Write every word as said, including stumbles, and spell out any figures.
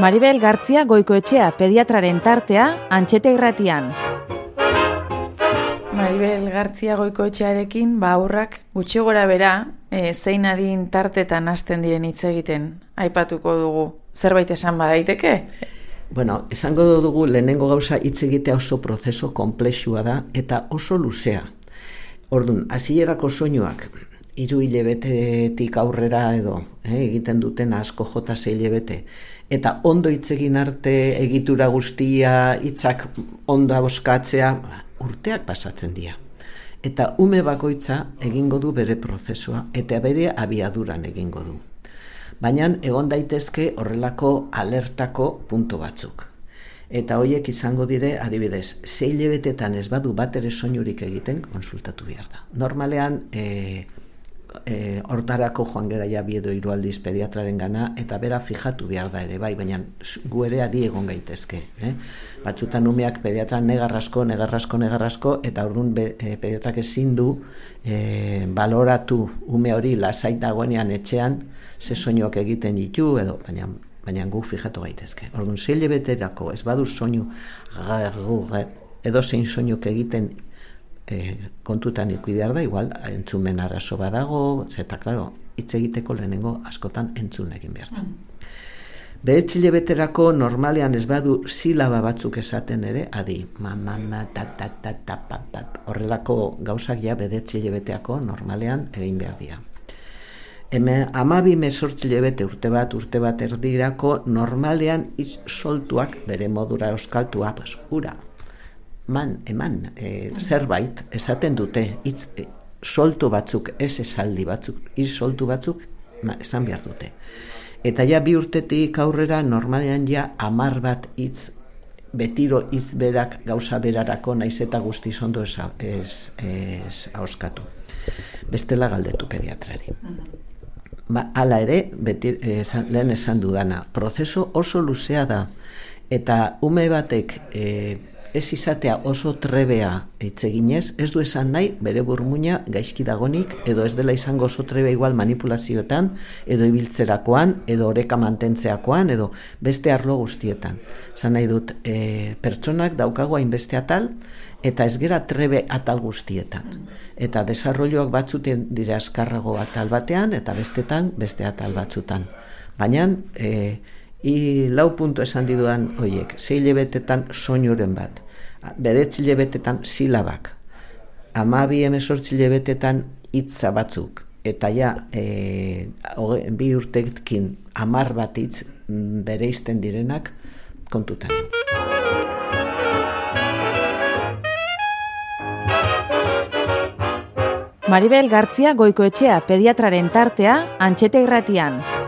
Maribel Gartzia Goikoetxea pediatraren tartea Antxete Irratian. Maribel Gartzia Goikoetxearekin ba aurrak gutxi gora bera e, zein adin tartetan hasten diren hitz egiten aipatuko dugu. Zerbait esan badaiteke? Bueno, esango dugu lehenengo gauza hitz egitea oso prozeso konplexua da eta oso luzea. Orduan, hasierako soinuak hiru hilabetetik aurrera edo eh, egiten duten asko jota sei hilabete eta ondo hitz egin arte egitura guztia hitzak ondo boskatzea urteak pasatzen dira. Eta ume bakoitza egingo du bere prozesua eta bere abiaduran egingo du. Baina egon daitezke horrelako alertako puntu batzuk. Eta horiek izango dire, adibidez, sei hilabetetan ez badu bat ere soinurik egiten, konsultatu behar da. Normalean, e, e, hortarako joan gera ja bi edo hiru aldiz pediatraren gana, eta bera fijatu behar da ere, bai, baina gu ere adi egon gaitezke. Eh? Batzutan umeak pediatran negarrasko, negarrasko, negarrasko, eta orduan be, e, pediatrak ezin du e, baloratu ume hori lasai dagoenean etxean, ze soinuak egiten ditu, edo, baina baina gu fijatu gaitezke. Orduan, sei hilabeterako ez badu soinu edo zein soinuk egiten e, kontutan ikusi behar da, igual entzumen arazo badago, zeta, klaro, hitz egiteko lehenengo askotan entzun egin behar da. Bederatzi hilabeterako normalean ez badu silaba batzuk esaten ere, adi, mama, ta, ta, ta, ta, pa, pa, horrelako gauzak ja bederatzi hilabeteako normalean egin behar dira. Hemen hamabi hemezortzi hilabete urte bat, urte bat erdirako normalean hitz soltuak bere modura euskaltua, pues, ura, man, eman, e, zerbait esaten dute, hitz e, soltu batzuk, ez esaldi batzuk, hitz soltu batzuk ma, esan behar dute. Eta ja bi urtetik aurrera normalean ja hamar bat hitz, betiro hitz berak gauza berarako naiz eta guztiz ondo ez, ez, ez auskatu. Bestela galdetu pediatrari. Ba, hala ere, beti, eh, lehen esan dudana, prozesu oso luzea da, eta ume batek eh, ez izatea oso trebea hitz eginez, ez du esan nahi bere burmuina gaizki dagonik, edo ez dela izango oso trebea igual manipulazioetan, edo ibiltzerakoan, edo oreka mantentzeakoan, edo beste arlo guztietan. Esan nahi dut, eh, pertsonak daukago hainbeste atal, eta ez gera trebe atal guztietan. Eta desarrolloak batzuten dira azkarrago atal batean, eta bestetan beste atal batzutan. Baina, e, i lau puntu esan diduan horiek, sei hilabetetan soinuren bat, bederatzi hilabetetan silabak, hamabi hemezortzi hilabetetan hitza batzuk, eta ja, e, bi urtekin hamar bat hitz bereizten direnak kontutan. Maribel Gartzia Goikoetxea pediatraren tartea Antxete Irratian.